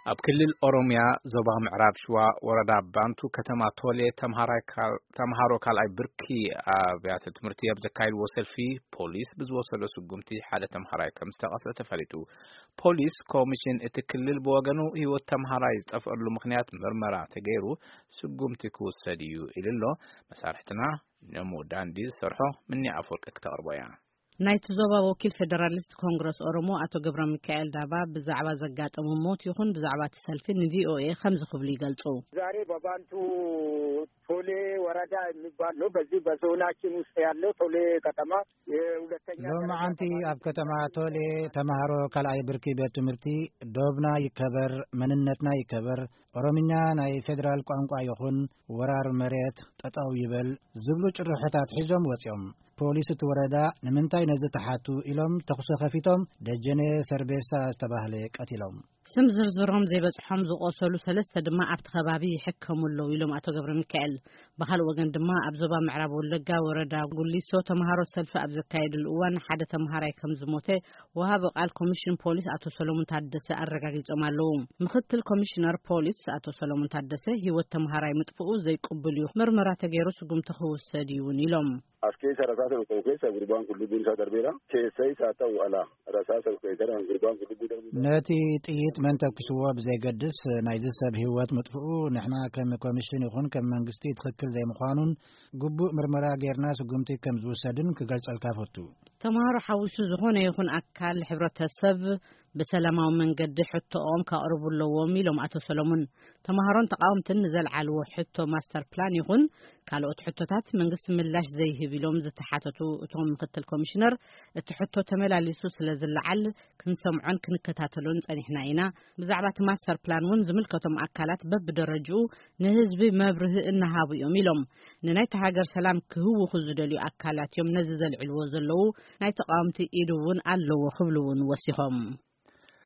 ኣብ ክልል ኦሮምያ ዞባ ምዕራብ ሽዋ ወረዳ ባንቱ ከተማ ቶሌ ተምሃራይ ካል-፣ ተምሃሮ ካልኣይ ብርኪ ኣብያተ ትምህርቲ ኣብ ዘካየድዎ ሰልፊ ፖሊስ ብዝወሰዶ ስጉምቲ ሓደ ተምሃራይ ከም ዝተቐትለ ተፈሊጡ። ፖሊስ ኮሚሽን እቲ ክልል ብወገኑ ህይወት ተምሃራይ ዝጠፍአሉ ምኽንያት ምርመራ ተገይሩ ስጉምቲ ክውሰድ እዩ ኢሉ ኣሎ። መሳርሕትና ነሙ ዳንዲ ዝሰርሖ ምኒ ኣፈወርቂ ክተቕርቦ እያ። ናይቲ ዞባ ወኪል ፌደራሊስት ኮንግረስ ኦሮሞ ኣቶ ገብረ ሚካኤል ዳባ ብዛዕባ ዘጋጠሙ ሞት ይኹን ብዛዕባ እቲ ሰልፊ ንቪኦኤ ከምዚ ክብሉ ይገልጹ። ዛሬ በባንቱ ቶሌ ወረዳ የሚባል ነው። በዚህ በዞናችን ውስጥ ያለው ቶሌ ከተማ የሁለተኛ ደረጃ ሎማዓንቲ ተማሪ ኣብ ከተማ ቶሌ ተማሃሮ ካልኣይ ብርኪ ቤት ትምህርቲ ዶብና ይከበር፣ መንነትና ይከበር፣ ኦሮምኛ ናይ ፌደራል ቋንቋ ይኹን ወራር መሬት ጠጠው ይበል ዝብሉ ጭርሖታት ሒዞም ወፂኦም። ፖሊስ እቲ ወረዳ ንምንታይ ነዚ ተሓቱ ኢሎም ተኹሲ ከፊቶም ደጀኔ ሰርቤሳ ዝተባህለ ቀቲሎም። ስም ዝርዝሮም ዘይበጽሖም ዝቆሰሉ ሰለስተ ድማ ኣብቲ ከባቢ ይሕከሙ ኣለዉ ኢሎም ኣቶ ገብረ ሚካኤል። ብኻልእ ወገን ድማ ኣብ ዞባ ምዕራብ ወለጋ ወረዳ ጉሊሶ ተምሃሮ ሰልፊ ኣብ ዘካየድሉ እዋን ሓደ ተምሃራይ ከም ዝሞተ ወሃቢ ቃል ኮሚሽን ፖሊስ ኣቶ ሰሎሞን ታደሰ ኣረጋጊጾም ኣለዉ። ምክትል ኮሚሽነር ፖሊስ ኣቶ ሰሎሞን ታደሰ ህይወት ተምሃራይ ምጥፍኡ ዘይቅቡል እዩ፣ ምርመራ ተገይሩ ስጉምቲ ክውሰድ እዩ እውን ኢሎም። As keessa rasaasa tokko keessa gurbaan kun lubbuun isaa darbeera. Keessa isaa ta'u ala rasaasa tokko keessa gurbaan kun lubbuu darbuu ነቲ ጥይት መን ተኩስዎ ብዘይገድስ ናይዚ ሰብ ህይወት ምጥፍኡ ንሕና ከም ኮሚሽን ይኹን ከም መንግስቲ ትኽክል ዘይምዃኑን ግቡእ ምርመራ ጌርና ስጉምቲ ከም ዝውሰድን ክገልጸልካ ፈቱ። ተምሃሮ ሓዊሱ ዝኾነ ይኹን ኣካል ሕብረተሰብ ብሰላማዊ መንገዲ ሕቶኦም ከቕርቡ ኣለዎም ኢሎም ኣቶ ሰሎሙን። ተምሃሮን ተቃወምትን ንዘልዓልዎ ሕቶ ማስተር ፕላን ይኹን ካልኦት ሕቶታት መንግስቲ ምላሽ ዘይህብ ኢሎም ዝተሓተቱ እቶም ምክትል ኮሚሽነር፣ እቲ ሕቶ ተመላሊሱ ስለ ዝለዓል ክንሰምዖን ክንከታተሎን ጸኒሕና ኢና። ብዛዕባ እቲ ማስተር ፕላን እውን ዝምልከቶም ኣካላት በብደረጅኡ ንህዝቢ መብርሂ እናሃቡ እዮም ኢሎም። ንናይቲ ሃገር ሰላም ክህውኹ ዝደልዩ ኣካላት እዮም ነዚ ዘልዕልዎ ዘለዉ፣ ናይ ተቃወምቲ ኢድ እውን ኣለዎ ክብሉ እውን ወሲኾም።